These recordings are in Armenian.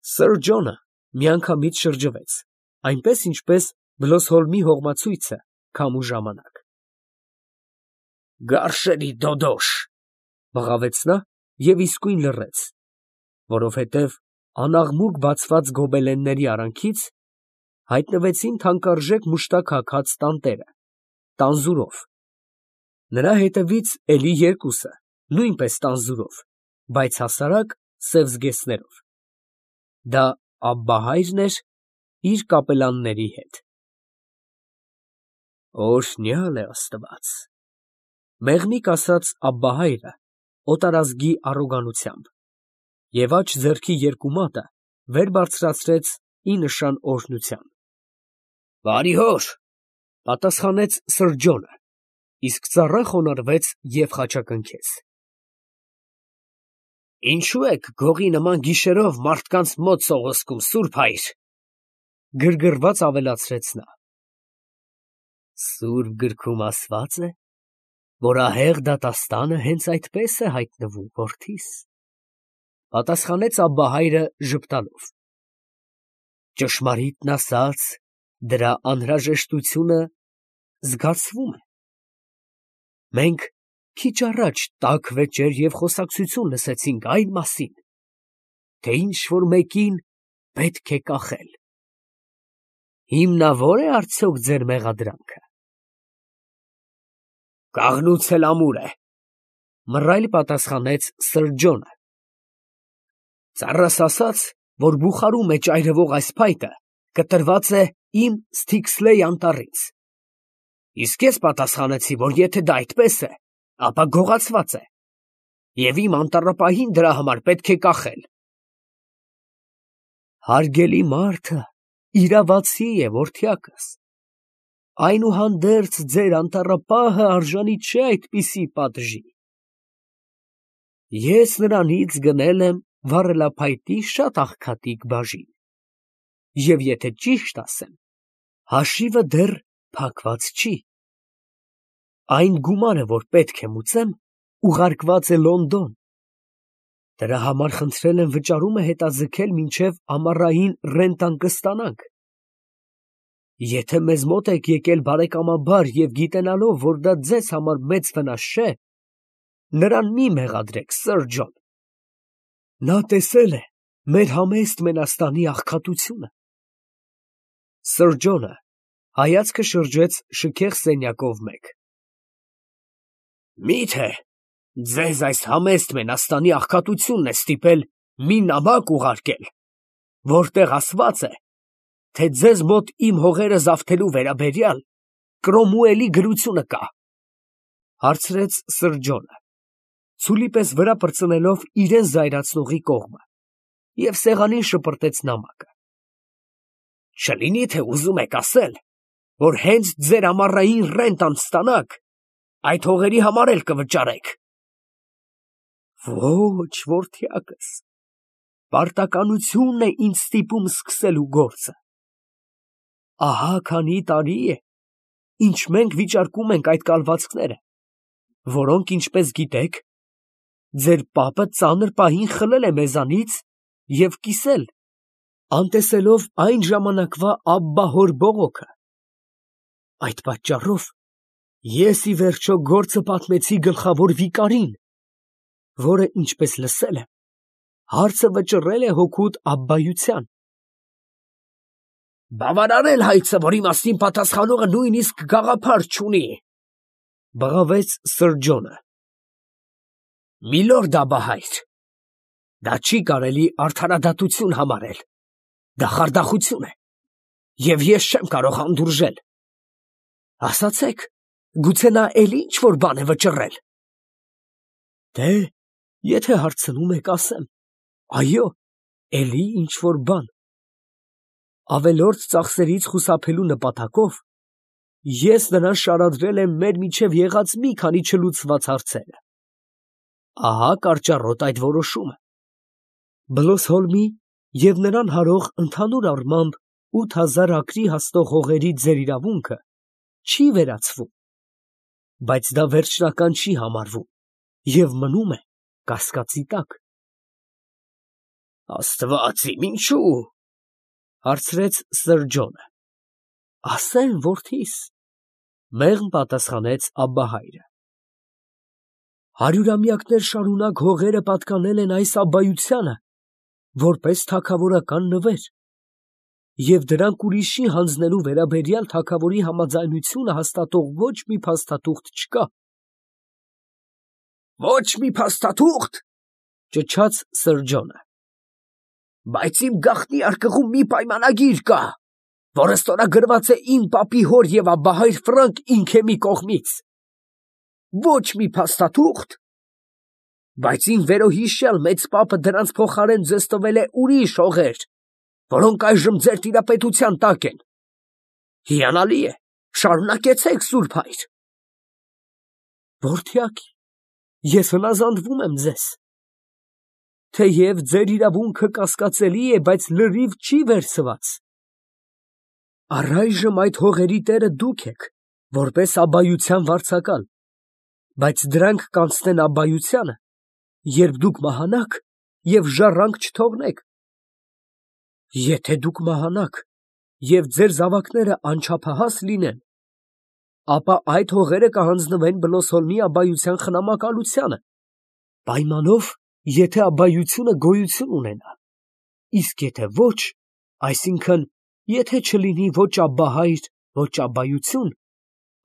Սըր Ջոնը միանգամից շրջվեց, այնպես ինչպես Բլոսհոլմի հողմացույցը քամու ժամանակ։ «Գարշելի դոդոշ», բղավեց նա և իսկույն լռեց, որովհետև անաղմուկ բացված գոբելենների արանքից հայտնվեցին թանկարժեք մուշտակ հագած տանտերը, տանզուրով, նրա հետևից էլի երկուսը, նույնպես տանզուրով, բայց հասարակ սև զգեստներով. դա Աբբահայրն էր իր կապելանների հետ։ «Օրհնյալ է Աստված», մեղմիկ ասաց Աբբահայրը օտարազգի առոգանությամբ, և աջ ձեռքի երկու մատը վեր բարձրացրեց ի նշան օրհնության։ «Բարի հոր», պատասխանեց Սըր Ջոնը, իսկ ծառը խոնարհվեց և խաչակնքեց։ «Ինչո՞ւ եք գողի նման գիշերով մարդկանց մոտ սողոսկում, սուրբ հայր», գրգռված ավելացրեց նա։ «Սուրբ գրքում ասված է, որ ահեղ դատաստանը հենց այդպես է հայտնվում, որդիս», պատասխանեց Աբբահայրը ժպտալով։ «Ճշմարիտն ասած, դրա անհրաժեշտությունը զգացվում է։ Մենք քիչ առաջ տաք վեճեր և խոսակցություն լսեցինք այն մասին, թե ինչ֊որ մեկին պետք է կախել։ Հիմնավո՞ր է արդյոք ձեր մեղադրանքը»։ «Կաղնուց էլ ամուր է», մռայլ պատասխանեց Սըր Ջոնը։ «Ծառս ասաց, որ բուխարու մեջ այրվող այս փայտը կտրված է իմ Սթիքսլեյ անտառից, իսկ ես պատասխանեցի, որ եթե դա այդպես է, ապա գողացված է, և իմ անտառապահին դրա համար պետք է կախել»։ «Հարգելի մարդը իրավացի է, որդյակս, այնուհանդերձ ձեր անտառապահը արժանի չէ այդպիսի պատժի։ Ես նրանից գնել եմ վառելափայտի շատ աղքատիկ բաժին, և եթե ճիշտ ասեմ, հաշիվը դեռ փակված չի։ Այն գումարը, որ պետք է մուծեմ, ուղարկված է Լոնդոն. դրա համար խնդրել եմ վճարումը հետաձգել մինչև ամառային ռենտան կստանանք։ Եթե մեզ մոտ եք եկել բարեկամաբար և գիտենալով, որ դա ձեզ համար մեծ վնաս չէ, նրան մի մեղադրեք, Սըր Ջոն. նա տեսել է մեր համեստ մենաստանի աղքատությունը»։ Սըր Ջոնը հայացքը շրջեց շքեղ սենյակով մեկ։ «Մի՞թե ձեզ այս համեստ մենաստանի աղքատությունն է ստիպել մի նամակ ուղարկել, որտեղ ասված է, թե ձեզ մոտ իմ հողերը զավթելու վերաբերյալ Կրոմուելի գրությունը կա», հարցրեց Սըր Ջոնը, ցուլի պես վրա պրծնելով իրան զայրացնողի կողմը, և սեղանին շպրտեց նամակը։ «Չլինի՞ թե ուզում եք ասել, որ հենց ձեր ամառային ռենտան ստանաք, այդ հողերի համար էլ կվճարեք»։ «Ոչ, որդյակս, պարտականությունն է ինձ ստիպում սկսելու գործը։ Ահա քանի տարի է, ինչ մենք վիճարկում ենք այդ կալվածքները, որոնք, ինչպես գիտեք, ձեր պապը ծանր պահին խլել է մեզանից և կիսել, անտեսելով այն ժամանակվա Աբբահոր բողոքը։ Այդ պատճառով ես ի վերջո գործը պատմեցի գլխավոր վիկարին, որը, ինչպես լսել եմ, հարցը վճռել է հօգուտ Աբբայության»։ «Բավարար էլ հայցը, որ իմաստին պատասխանողը նույնիսկ գաղափար չունի», բղավեց Սըր Ջոնը։ «Միլորդ Աբբահայր, դա չի կարելի արդարադատություն համարել, դա խարդախություն է, և ես չեմ կարող հանդուրժել։ Ասացեք, գուցե նա էլի ինչ֊որ բան է վճռել»։ «Դե, եթե հարցնում եք, ասեմ. այո, էլի ինչ֊որ բան։ Ավելորդ ծախսերից խուսափելու նպատակով ես նրան շարադրել եմ մեր միջև եղած մի քանի չլուծված հարցերը։ Ահա կարճառոտ այդ որոշումը. Բլոսհոլմի և նրան հարող ընդհանուր առմամբ 8000 ակրի հասնող հողերի ձեր իրավունքը չի վերացվում, բայց դա վերջնական չի համարվում և մնում է կասկածի տակ»։ Աստված իմ, ինչու՞։ Հարցրեց Սըր Ջոնը։ Ասեմ, որդիս, մեղմ պատասխանեց Աբբահայրը։ Հարյուրամյակներ շարունակ հողերը պատկանել են այս աբբայությանը, որպես թագավորական նվեր, և դրանք ուրիշի հանձնելու վերաբերյալ թագավորի համաձայնությունը հաստատող ոչ մի փաստաթուղթ չկա։ Ոչ մի փաստաթուղթ, ճչաց Սըր Ջոնը։ Բայց իմ գաղտնի արկղում մի պայմանագիր կա, որը ստորագրված է իմ պապի հոր և Աբբահայր Ֆրանկ Ինքեմի կողմից։ Ոչ մի փաստաթուղթ, բայց իմ վերոհիշյալ մեծ պապը դրանց փոխարեն ձեզ տվել է ուրիշ հողեր, որոնք այժմ ձեր տիրապետության տակ են։ Հիանալի է, շարունակեցեք, Սուրբ Հայր։ Որդյակ, ես հնազանդվում եմ ձեզ։ Թեև ձեր իրավունքը կասկածելի է, բայց լրիվ չի վերցված։ Առայժմ այդ հողերի տերը դուք եք, որպես աբբայության վարձակալ, բայց դրանք կանցնեն աբբայությանը, երբ դուք մահանաք և ժառանգ չթողնեք։ Եթե դուք մահանաք և ձեր զավակները անչափահաս լինեն, ապա այդ հողերը կհանձնվեն Բլոսհոլմի աբբայության խնամակալությանը, պայմանով, եթե աբբայությունը գոյություն ունենա, իսկ եթե ոչ, այսինքն, եթե չլինի ոչ Աբբահայր, ոչ աբբայություն,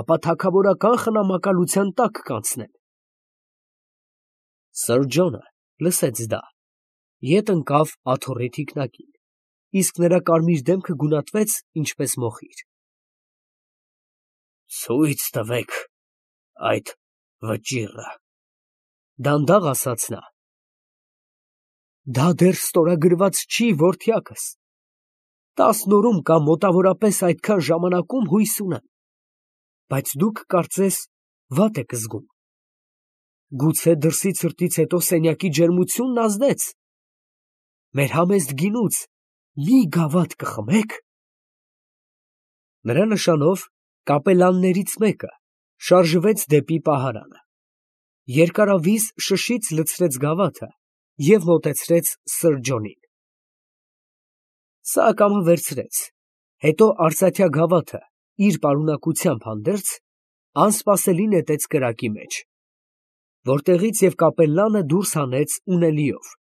ապա թագավորական խնամակալության տակ կանցնեն։ Սըր Ջոնը լսեց դա, ետ ընկավ աթոռի թիկնակին, իսկ նրա կարմիր դեմքը գունատվեց, ինչպես մոխիր։ Ցույց տվեք այդ վճիռը, դանդաղ ասաց նա։ Դա դեռ ստորագրված չի, որդյակս։ 10 օրում կամ մոտավորապես այդքան ժամանակում հույս ունեմ, բայց դուք կարծես վատ եք զգում։ Գուցե դրսի ցրտից հետո սենյակի ջերմությունն ազդեց։ Մեր համեստ գինուց մի գավաթ կխմեք։ Նրա նշանով կապելաններից մեկը շարժվեց դեպի պահարանը։ Երկարավիզ շշից լցրեց գավաթը և մոտեցրեց Սըր Ջոնին։ Սա ակամա վերցրեց, հետո արծաթյա գավաթը իր պարունակությամբ հանդերձ անսպասելի նետեց կրակի մեջ, որտեղից և կապելլանը դուրս հանեց ունելիով։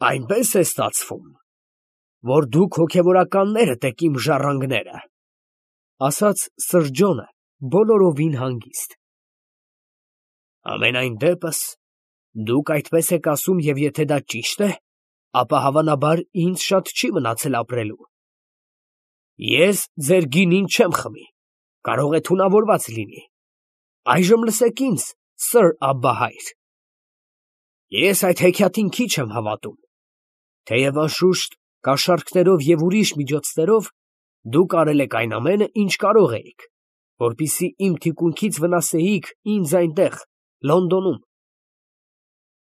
Այնպես է ստացվում, որ դուք հոգևորականներդ եք իմ ժառանգները, ասաց Սըր Ջոնը բոլորովին հանգիստ։ Համենայն դեպս, դուք այդպես եք ասում, և եթե դա ճիշտ է, ապա հավանաբար ինձ շատ չի մնացել ապրելու։ Ես ձեր գինին չեմ խմի, կարող է թունավորված լինի։ Այժմ լսեք ինձ, Սըր Աբբահայր։ Ես այդ հեքիաթին քիչ եմ հավատում, թեև անշուշտ կաշառքներով և ուրիշ միջոցներով դուք արել եք այն ամենը, ինչ կարող էիք, որպեսզի իմ թիկունքից վնասեիք ինձ այնտեղ, Լոնդոնում։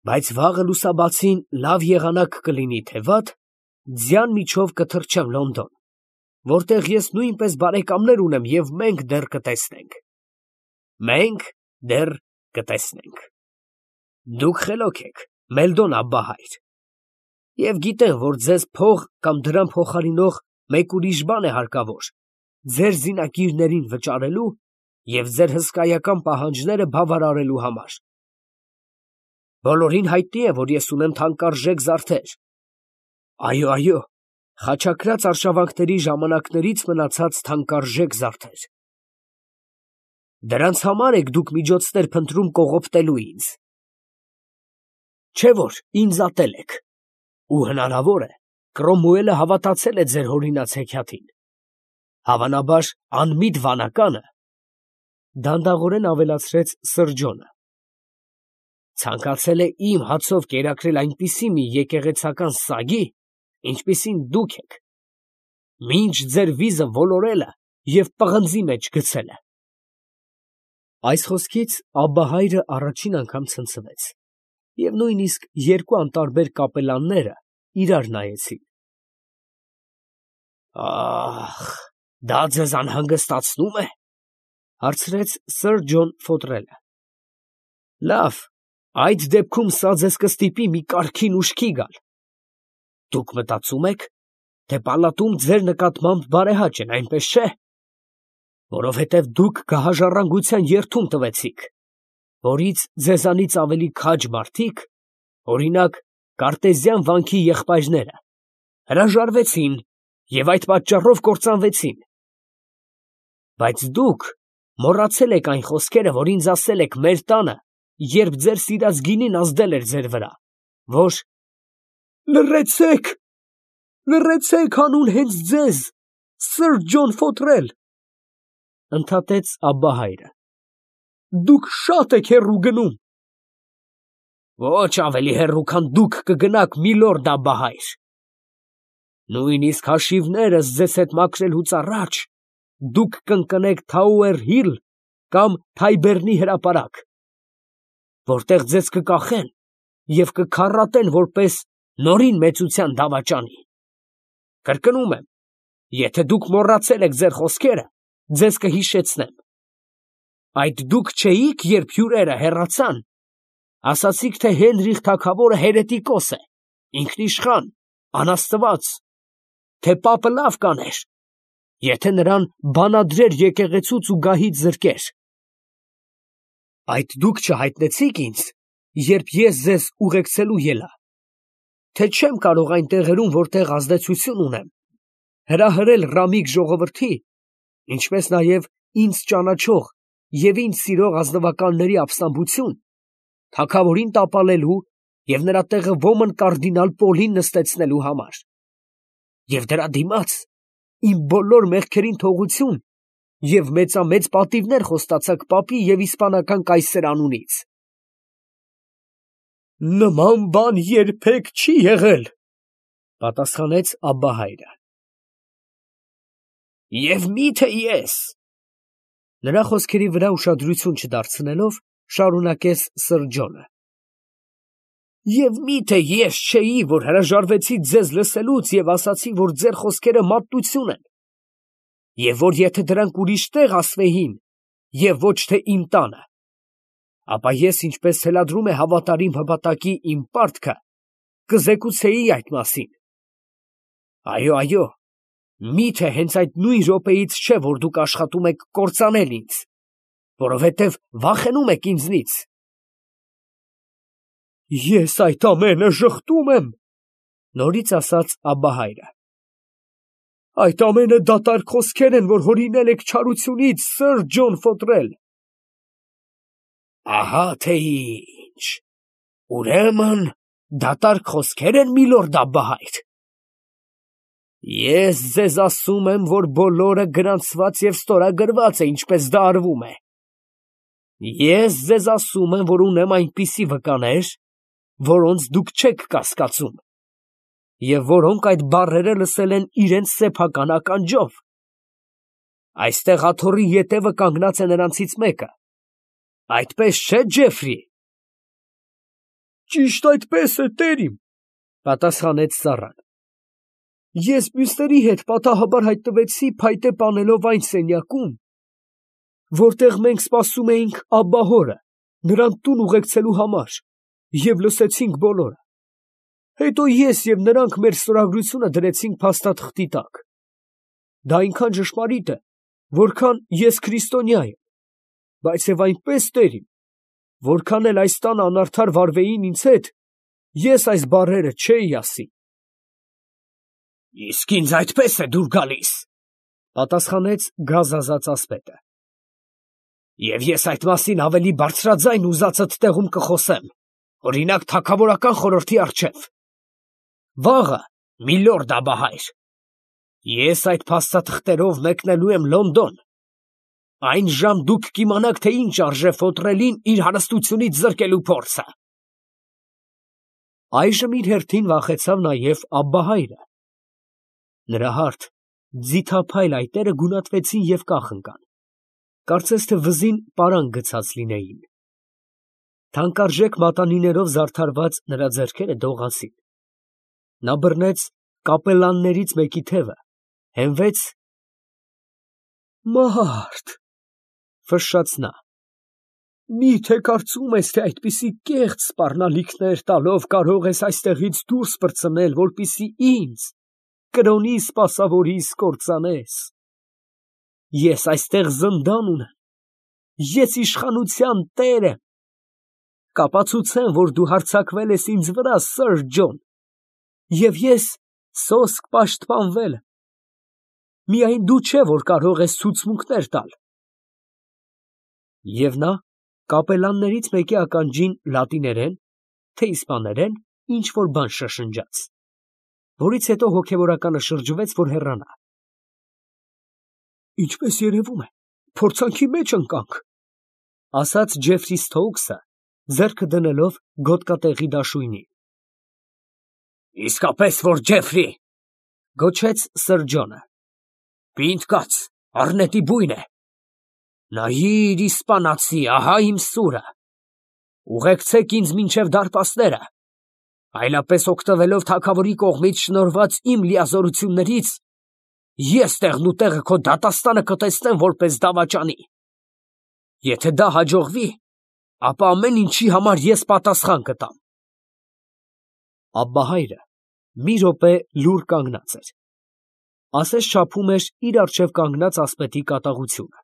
Բայց վաղը լուսաբացին լավ եղանակ կլինի, թե վատ, ձյան միջով կթռչեմ Լոնդոն, որտեղ ես նույնպես բարեկամներ ունեմ և մենք դեռ կտեսնենք։ Մենք դեռ կտեսնենք։ Դուք խելոք եք, Մելդոն Աբբահայր, և գիտեմ, որ ձեզ փող կամ դրամ փոխարինող մեկ ուրիշ բան է հարկավոր ձեր զինակիրներին վճարելու և ձեր հսկայական պահանջները բավարարելու համար։ Բոլորին հայտնի է, որ ես ունեմ թանկարժեք զարդեր։ Այո, խաչակրաց արշավանքների ժամանակներից մնացած թանկարժեք զարդեր։ Դրանց համար եք դուք միջոցներ փնտրում կողոպտելու ինձ։ Չէ՞ որ ինձ ատել եք, ու հնարավոր է, Կրոմուելը հավատացել է ձեր հորինած հեքիաթին։ Հավանաբար անմիտ վանականը, դանդաղորեն ավելացրեց Սըր Ջոնը, ցանկացել է իմ հացով կերակրել այնպիսի մի եկեղեցական սագի, ինչպիսին դուք եք, մինչ ձեր վիզը ոլորելը և պղնձի մեջ գցելը։ Այս խոսքից Աբբահայրը առաջին անգամ ցնցվեց, և նույնիսկ երկու անտարբեր կապելանները իրար նայեցին։ Ահ, դա ձեզ անհանգստացնո՞ւմ է, հարցրեց Սըր Ջոն Ֆոտրելը։ Լավ, Այդ դեպքում սա ձեզ կստիպի մի կարգին ուշքի գալ։ Դուք մտածում եք, թե պալատում ձեր նկատմամբ բարեհաճ են, այնպես չէ՞։ Որովհետև դուք գահաժառանգության երդում տվեցիք, որից ձեզանից ավելի քաջ մարդիկ, օրինակ Կարտեզյան վանքի եղբայրները, հրաժարվեցին և այդ պատճառով կործանվեցին։ Բայց դուք մոռացել եք այն խոսքերը, որ ինձ ասել եք մեր տանը, երբ ձեր սիրած գինին ազդել էր ձեր վրա, որ «Լռեցեք, լռեցեք, հանուն հենց ձեզ, սըր Ջոն Ֆոթրել», ընդհատեց Աբբահայրը, դուք շատ եք հեռու գնում։ Ոչ ավելի հեռու, քան դուք կգնաք, միլորդ Աբբահայր։ Նույնիսկ հաշիվներս ձեզ հետ մաքրելուց առաջ դուք կընկնեք Թաուեր Հիլ կամ Թայբերնի հրապարակ, որտեղ ձեզ կկախեն և կքառատեն որպես նորին մեծության դավաճանի։ Կրկնում եմ, եթե դուք մոռացել եք ձեր խոսքերը, ձեզ կհիշեցնեմ։ Այդ դուք չէիք, երբ հյուրերը հեռացան, ասացիք, թե Հենրիխ թագավորը հերետիկոս է, ինքնիշխան, անաստված, թե պապը լավ կաներ, եթե նրան բանադրեր եկեղեցուց ու գահից զրկեր։ Այդ դուք չհայտնեցիք ինձ, երբ ես ձեզ ուղեկցելու ելա, թե չեմ կարող այն տեղերում, որտեղ ազդեցություն ունեմ, հրահրել ռամիկ ժողովրդի, ինչպես նաև ինձ ճանաչող և ինձ սիրող ազնվականների ապստամբություն, թագավորին տապալելու և նրա տեղը ոմն կարդինալ Պոլին նստեցնելու համար։ Եվ դրա դիմաց իմ բոլոր մեղքերին թողություն և մեծամեծ պատիվներ խոստացաք պապի և իսպանական կայսեր անունից։ Նման բան երբեք չի եղել, պատասխանեց Աբբահայրը։ Եվ մի՞թե ես, նրա խոսքերի վրա ուշադրություն չդարձնելով, շարունակեց սըր Ջոնը, և մի՞թե ես չէի, որ հրաժարվեցի ձեզ լսելուց և ասացի, որ ձեր խոսքերը մատնություն են, և որ եթե դրանք ուրիշ տեղ ասվեին, և ոչ թե իմ տանը, ապա ես, ինչպես թելադրում է հավատարիմ հպատակի իմ պարտքը, կզեկուցեի այդ մասին։ Այո, մի՞թե հենց այդ նույն րոպեից չէ, որ դուք աշխատում եք կործանել ինձ, որովհետև վախենում եք ինձնից։ Ես այդ ամենը ժխտում եմ, նորից ասաց Աբբահայրը։ Այդ ամենը դատարկ խոսքեր են, որ հորինել եք չարությունից, սըր Ջոն Ֆոթրել։ Ահա թե ինչ, ուրեմն դատարկ խոսքեր են, միլորդ Աբբահայր։ Ես ձեզ ասում եմ, որ բոլորը գրանցված և ստորագրված է, ինչպես դա արվում է։ Ես ձեզ ասում եմ, որ ունեմ այնպիսի վկաներ, որոնց դուք չեք կասկածում, և որոնք այդ բառերը լսել են իրենց սեփական ականջով։ Այստեղ աթոռի ետևը կանգնած է նրանցից մեկը, այդպես չէ՞, Ջեֆրի։ Ճիշտ այդպես է, տերիմ, պատասխանեց ծառան։ Ես մյուսների հետ պատահաբար հայտնվեցի փայտե պանելով այն սենյակում, որտեղ մենք սպասում էինք Աբբահորը, նրան տուն ուղեկցելու համար, և լսեցինք բոլորը։ Հետո ես և նրանք մեր ստորագրությունը դրեցինք փաստաթղթի տակ։ Դա այնքան ճշմարիտ է, որքան ես քրիստոնյա եմ, բայց և այնպես, տերիմ, որքան էլ այս տանը անարդար վարվեին ինձ հետ, ես այս բառերը չէի ասի։ Իսկ ինձ այդպես է դուր գալիս, պատասխանեց գազազած ասպետը։ Եվ ես այդ մասին ավելի բարձրաձայն ուզածդ տեղում կխոսեմ, օրինակ թագավորական խորհրդի առջև։ Վաղը, միլորդ Աբբահայր, ես այդ փաստաթղթերով մեկնելու եմ Լոնդոն։ Այն ժամ դուք կիմանաք, թե ինչ արժե Ֆոթրելին իր հարստությունից զրկելու փորձը։ Այժմ իր հերթին վախեցավ նաև Աբբահայրը։ Նրա հարթ, ձիթափայլ այտերը գունատվեցին և կախ ընկան, կարծես թե վզին պարանկ գցած լինեին։ Թանկարժեք մատանիներով զարդարված նրա ձեռքերը դողացին։ Նա բռնեց կապելլաներից մեկի թևը, հենվեց։ Մարդ, ֆշշաց նա, Մի՞թե կարծում ես, թե այդպիսի կեղծ սպառնալիքներ տալով կարող ես այստեղից դուրս պրծնել, որպեսզի ինձ, կրոնի սպասավորիս, կործանես։ Ես այստեղ զնդան ունեմ, ես իշխանության տեր եմ։ Կապացուցեմ, որ դու հարձակվել ես ինձ վրա, սըր Ջոն, և ես սոսկ պաշտպանվել եմ։ Միայն դու չէ, որ կարող ես ցուցմունքներ տալ։ Եվ նա կապելաններից մեկի ականջին լատիներեն, թե իսպաներեն ինչ֊որ բան շշնջաց, որից հետո հոգևորականը շրջվեց, որ հեռանա։ Ինչպես երևում է, փորձանքի մեջ ընկանք, ասաց Ջեֆրի Սթոուքսը, ձեռքը դնելով գոտկատեղի դաշույնին։ Իսկապես որ Ջեֆրի, գոչեց սըր Ջոնը։ Պինդ կաց, առնետի բույն է։ Նայիր, իսպանացի, ահա իմ սուրը։ Ուղեկցեք ինձ մինչև դարպասները, այլապես օգտվելով թագավորի կողմից շնորհված իմ լիազորություններից, ես տեղն ու տեղը քո դատաստանը կտեսնեմ որպես դավաճանի։ Եթե դա հաջողվի, ապա ամեն ինչի համար ես պատասխան կտամ։ Աբբահայրը մի րոպե լուռ կանգնած էր, ասես չափում էր իր առջև կանգնած ասպետի կատաղությունը,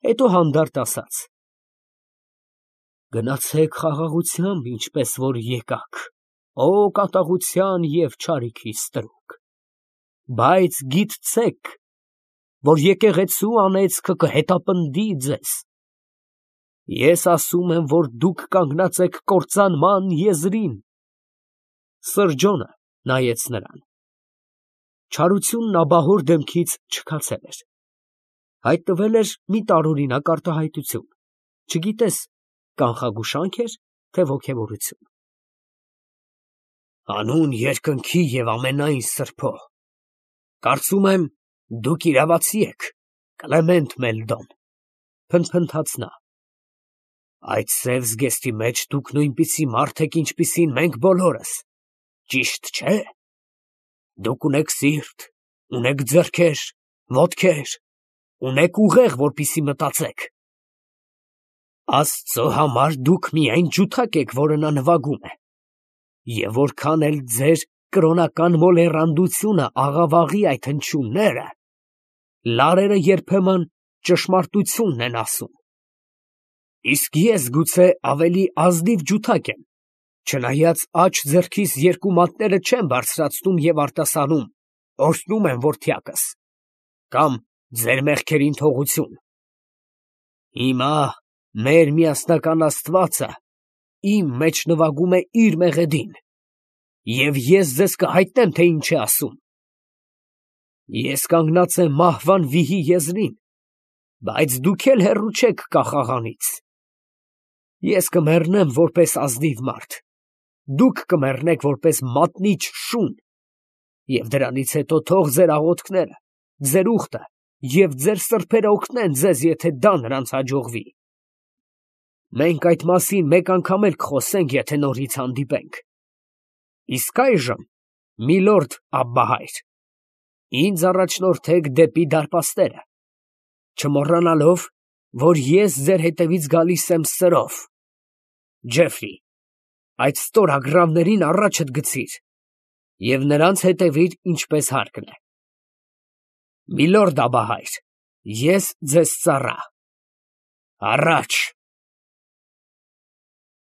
հետո հանդարտ ասաց. Գնացեք խաղաղությամբ, ինչպես որ եկաք, ո կատաղության և չարիքի ստրուկ, բայց գիտցեք, որ եկեղեցու անեծքը կհետապնդի ձեզ։ Ես ասում եմ, որ դուք կանգնած եք կործանման եզրին։ Սըր Ջոնը նայեց նրան։ Չարությունն աբահոր դեմքից չքացել էր, հայտնվել էր մի տարօրինակ արտահայտություն, չգիտես կանխագուշանք էր, թե ոգևորություն։ Հանուն երկնքի և ամենայն սրբո, կարծում եմ, դուք իրավացի եք, Կլեմենտ Մելդոն, փնթփնթաց նա։ Այդ սև զգեստի մեջ դուք նույնպիսի մարդ եք, ինչպիսին մենք բոլորս, ճիշտ չէ։ Դուք ունեք սիրտ, ունեք ձեռքեր, ոտքեր, ունեք ուղեղ, որպեսզի մտածեք։ Աստծո համար դուք միայն ջութակ եք, որը նա նվագում է, և որքան էլ ձեր կրոնական մոլեռանդությունը աղավաղի այդ հնչյունները, լարերը երբեմն ճշմարտությունն են ասում։ Իսկ ես գուցե ավելի ազնիվ ջութակ եմ, չնայած աջ ձեռքիս երկու մատները չեմ բարձրացնում և արտասանում, օրհնում եմ որդյակս, կամ ձեր մեղքերին թողություն։ Հիմա մեր միասնական Աստվածը իմ մեջ նվագում է իր մեղեդին, և ես ձեզ կհայտնեմ, թե ինչ է ասում։ Ես կանգնած եմ մահվան վիհի եզրին, բայց դուք էլ հեռու չեք կախաղանից։ Ես կմեռնեմ որպես ազնիվ մարդ, դուք կմեռնեք որպես մատնիչ շուն, և դրանից հետո թող ձեր աղոթքները, ձեր ուխտը և ձեր սրբերը օգնեն ձեզ, եթե դա նրանց հաջողվի։ Մենք այդ մասին մեկ անգամ էլ կխոսենք, եթե նորից հանդիպենք։ Իսկ այժմ, միլորդ Աբբահայր, ինձ առաջնորդեք դեպի դարպասները, չմոռանալով, որ ես ձեր հետևից գալիս եմ սրով։ Ջեֆրի, այդ ստորագրավներին առաջդ գցիր և նրանց հետևիր, ինչպես հարկն է։ Միլորդ Աբբահայր, ես ձեզ ծառա։ Առաջ։